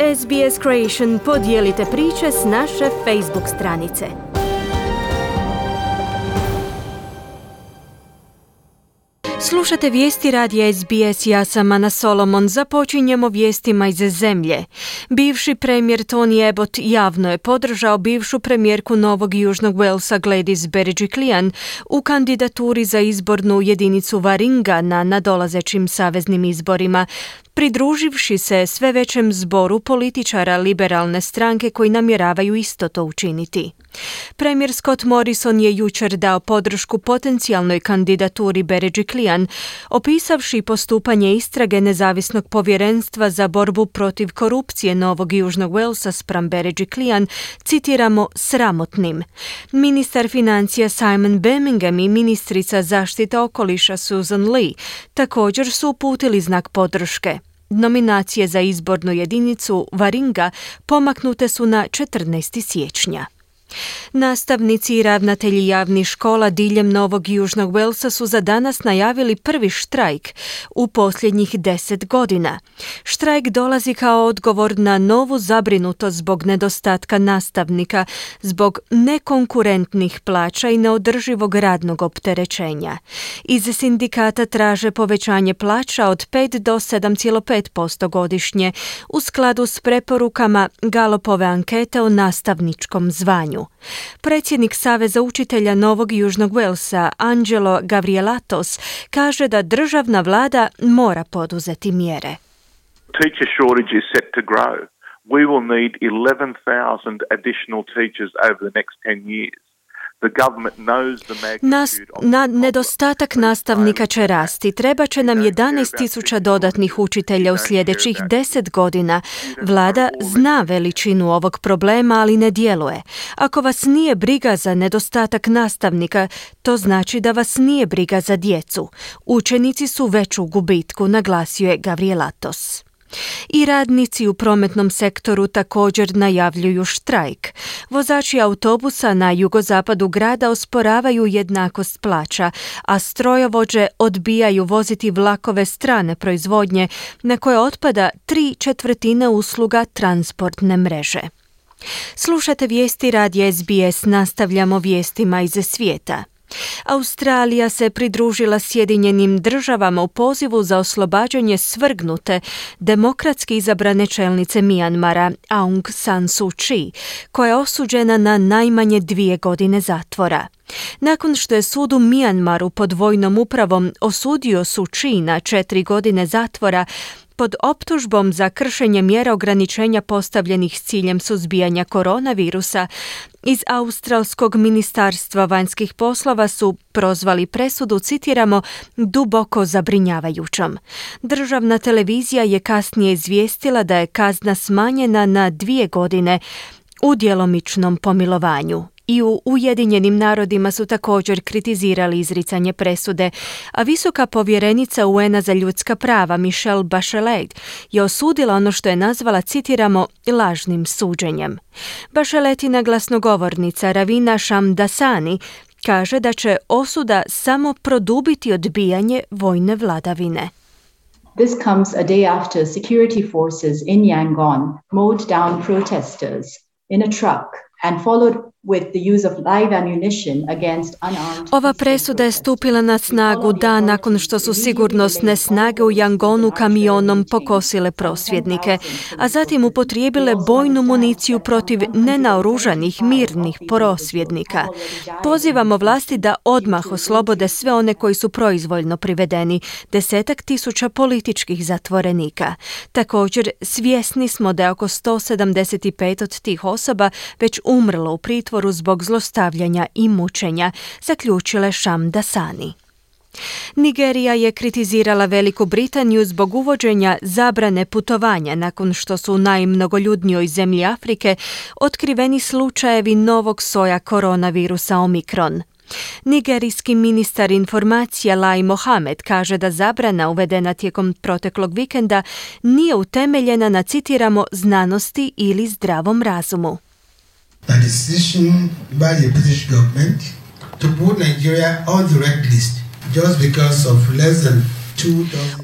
SBS Creation, podijelite priče s naše Facebook stranice. Slušate vijesti radija SBS, ja sam Ana Solomon. Započinjemo vijestima iz zemlje. Bivši premijer Tony Abbott javno je podržao bivšu premijerku Novog Južnog Walesa Gladys Berejiklian u kandidaturi za izbornu jedinicu Warringa na nadolazećim saveznim izborima, pridruživši se sve većem zboru političara liberalne stranke koji namjeravaju isto to učiniti. Premijer Scott Morrison je jučer dao podršku potencijalnoj kandidaturi Berejiklian, opisavši postupanje istrage nezavisnog povjerenstva za borbu protiv korupcije Novog Južnog Walesa spram Berejiklian, citiramo, sramotnim. Ministar financija Simon Birmingham i ministrica zaštite okoliša Susan Lee također su uputili znak podrške. Nominacije za izbornu jedinicu Warringa pomaknute su na 14. siječnja. Nastavnici i ravnatelji javnih škola diljem Novog Južnog Walesa su za danas najavili prvi štrajk u posljednjih 10 godina. Štrajk dolazi kao odgovor na novu zabrinutost zbog nedostatka nastavnika, zbog nekonkurentnih plaća i neodrživog radnog opterećenja. Iz sindikata traže povećanje plaća od 5 do 7,5% godišnje u skladu s preporukama Gallupove ankete o nastavničkom zvanju. Predsjednik Saveza učitelja Novog Južnog Walesa, Angelo Gavrielatos, kaže da državna vlada mora poduzeti mjere. Teacher shortage is set to grow. We will need 11,000 additional teachers over the next 10 years. Nedostatak nastavnika će rasti. Treba će nam 11,000 dodatnih učitelja u sljedećih 10 godina. Vlada zna veličinu ovog problema, ali ne djeluje. Ako vas nije briga za nedostatak nastavnika, to znači da vas nije briga za djecu. Učenici su već u gubitku, naglasio je Gavrielatos. I radnici u prometnom sektoru također najavljuju štrajk. Vozači autobusa na jugozapadu grada osporavaju jednakost plaća, a strojovođe odbijaju voziti vlakove strane proizvodnje na koje otpada 3/4 usluga transportne mreže. Slušate vijesti radija SBS, nastavljamo vijestima iz svijeta. Australija se pridružila Sjedinjenim državama u pozivu za oslobađanje svrgnute demokratski izabrane čelnice Mijanmara Aung San Suu Kyi, koja je osuđena na najmanje 2 godine zatvora. Nakon što je sud u Mijanmaru pod vojnom upravom osudio Suu Kyi na 4 godine zatvora, pod optužbom za kršenje mjera ograničenja postavljenih s ciljem suzbijanja koronavirusa, iz Australskog ministarstva vanjskih poslova su prozvali presudu, citiramo, duboko zabrinjavajućom. Državna televizija je kasnije izvijestila da je kazna smanjena na 2 godine u djelomičnom pomilovanju. I u Ujedinjenim narodima su također kritizirali izricanje presude, a visoka povjerenica UN-a za ljudska prava Michelle Bachelet je osudila ono što je nazvala, citiramo, lažnim suđenjem. Bacheletina glasnogovornica Ravina Shamdasani kaže da će osuda samo produbiti odbijanje vojne vladavine. This comes a day after security forces in Yangon mowed down protesters in a truck and followed with the use of live ammunition against unarmed. Ova presuda je stupila na snagu dan nakon što su sigurnosne snage u Yangonu kamionom pokosile prosvjednike, a zatim upotrijebile bojnu municiju protiv nenaoružanih mirnih prosvjednika. Pozivamo vlasti da odmah oslobode sve one koji su proizvoljno privedeni, 10.000 političkih zatvorenika. Također, svjesni smo da je oko 175 od tih osoba već umrlo u pritvoru zbog zlostavljanja i mučenja, zaključile Shamdasani. Nigerija je kritizirala Veliku Britaniju zbog uvođenja zabrane putovanja nakon što su u najmnogoljudnijoj zemlji Afrike otkriveni slučajevi novog soja koronavirusa Omikron. Nigerijski ministar informacija Lai Mohamed kaže da zabrana uvedena tijekom proteklog vikenda nije utemeljena na, citiramo, znanosti ili zdravom razumu. The decision by the British government to put Nigeria on the red list just because of less than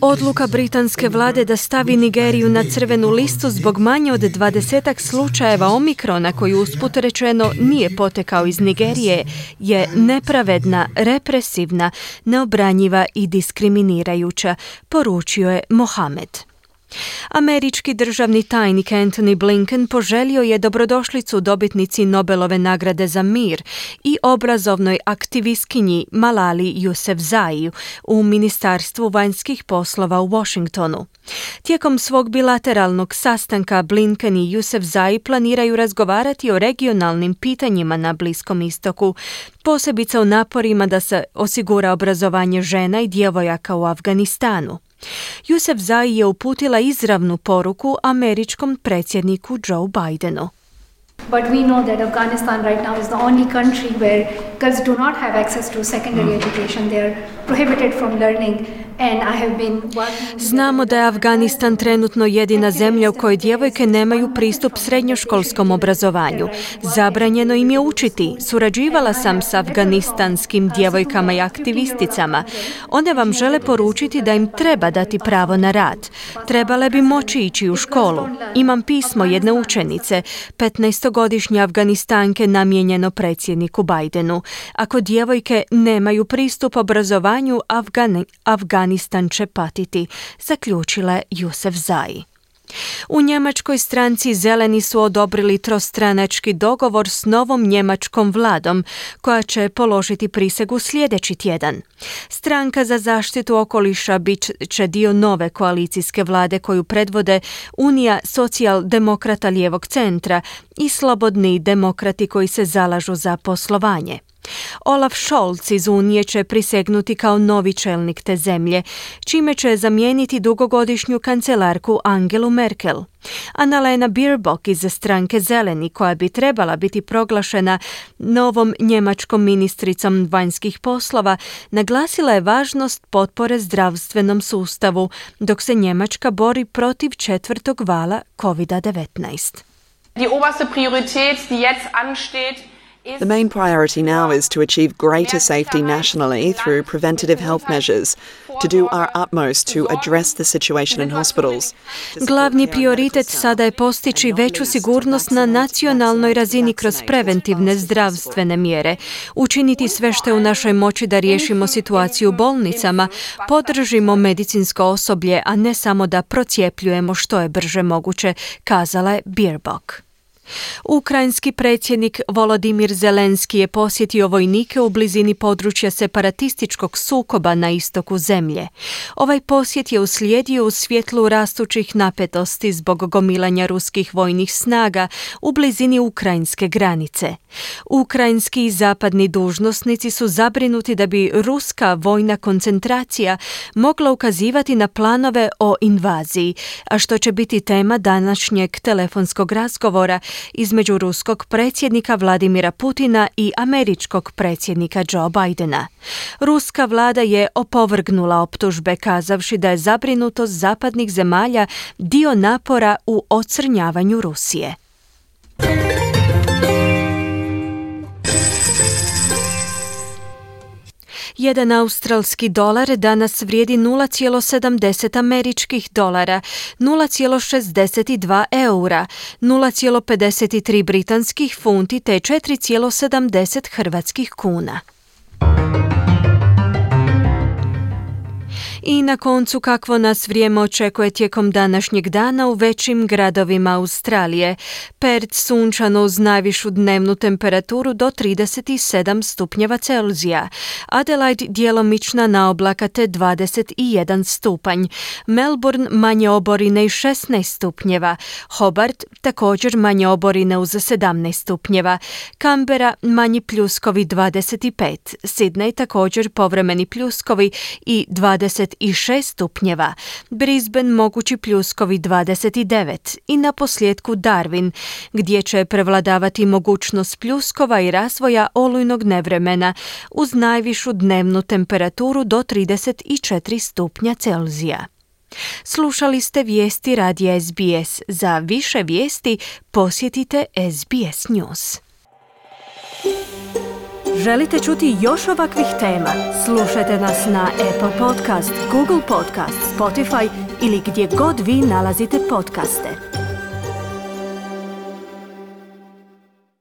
Odluka britanske vlade da stavi Nigeriju na crvenu listu zbog manje od 20 slučajeva Omikrona koji usput rečeno nije potekao iz Nigerije je nepravedna, represivna, neobranjiva i diskriminirajuća, poručio je Mohamed. Američki državni tajnik Antony Blinken poželio je dobrodošlicu dobitnici Nobelove nagrade za mir i obrazovnoj aktivistkinji Malali Yousafzai u Ministarstvu vanjskih poslova u Washingtonu. Tijekom svog bilateralnog sastanka Blinken i Yousafzai planiraju razgovarati o regionalnim pitanjima na Bliskom istoku, posebice o naporima da se osigura obrazovanje žena i djevojaka u Afganistanu. Yousafzai je uputila izravnu poruku američkom predsjedniku Joe Bidenu. But we know that Afghanistan right now is the only country where girls do not have access to secondary education. They are prohibited from learning. And I have been working... Znamo da je Afganistan trenutno jedina zemlja u kojoj djevojke nemaju pristup srednjoškolskom obrazovanju. Zabranjeno im je učiti. Surađivala sam s afganistanskim djevojkama i aktivisticama. One vam žele poručiti da im treba dati pravo na rad. Trebale bi moći ići u školu. Imam pismo jedne učenice, 15-godišnje Afganistanke, namijenjeno predsjedniku Bidenu. Ako djevojke nemaju pristup obrazovanju, Afganistan će patiti, zaključila je Yousafzai. U njemačkoj stranci Zeleni su odobrili trostranački dogovor s novom njemačkom vladom, koja će položiti prisegu sljedeći tjedan. Stranka za zaštitu okoliša bit će dio nove koalicijske vlade koju predvode Unija socijaldemokrata lijevog centra i slobodni demokrati koji se zalažu za poslovanje. Olaf Scholz iz Unije će prisegnuti kao novi čelnik te zemlje, čime će zamijeniti dugogodišnju kancelarku Angelu Merkel. Annalena Baerbock iz stranke Zeleni, koja bi trebala biti proglašena novom njemačkom ministricom vanjskih poslova, naglasila je važnost potpore zdravstvenom sustavu, dok se Njemačka bori protiv 4. vala COVID-19. Die oberste Priorität, die jetzt ansteht, The main priority now is to achieve greater safety nationally through preventative health measures, to do our utmost to address the situation in hospitals. Glavni prioritet sada je postići veću sigurnost na nacionalnoj razini kroz preventivne zdravstvene mjere, učiniti sve što je u našoj moći da riješimo situaciju u bolnicama, podržimo medicinsko osoblje, a ne samo da procjepljujemo što je brže moguće, kazala je Baerbock. Ukrajinski predsjednik Volodimir Zelenski je posjetio vojnike u blizini područja separatističkog sukoba na istoku zemlje. Ovaj posjet je uslijedio u svjetlu rastućih napetosti zbog gomilanja ruskih vojnih snaga u blizini ukrajinske granice. Ukrajinski i zapadni dužnosnici su zabrinuti da bi ruska vojna koncentracija mogla ukazivati na planove o invaziji, a što će biti tema današnjeg telefonskog razgovora između ruskog predsjednika Vladimira Putina i američkog predsjednika Joe Bidena. Ruska vlada je opovrgnula optužbe kazavši da je zabrinutost zapadnih zemalja dio napora u ocrnjavanju Rusije. Jedan australski dolar danas vrijedi 0,70 američkih dolara, 0,62 eura, 0,53 britanskih funti te 4,70 hrvatskih kuna. I na koncu kakvo nas vrijeme očekuje tijekom današnjeg dana u većim gradovima Australije. Perth sunčano uz najvišu dnevnu temperaturu do 37 stupnjeva Celzija. Adelaide djelomična naoblaka te 21 stupanj. Melbourne manje oborine i 16 stupnjeva. Hobart također manje oborine uz 17 stupnjeva. Canberra manji pljuskovi 25. Sydney također povremeni pljuskovi i 26 stupnjeva, Brisbane mogući pljuskovi 29 i na posljedku Darwin, gdje će prevladavati mogućnost pljuskova i razvoja olujnog nevremena uz najvišu dnevnu temperaturu do 34 stupnja Celzija. Slušali ste vijesti radija SBS. Za više vijesti posjetite SBS News. Želite čuti još ovakvih tema? Slušajte nas na Apple Podcast, Google Podcast, Spotify ili gdje god vi nalazite podcaste.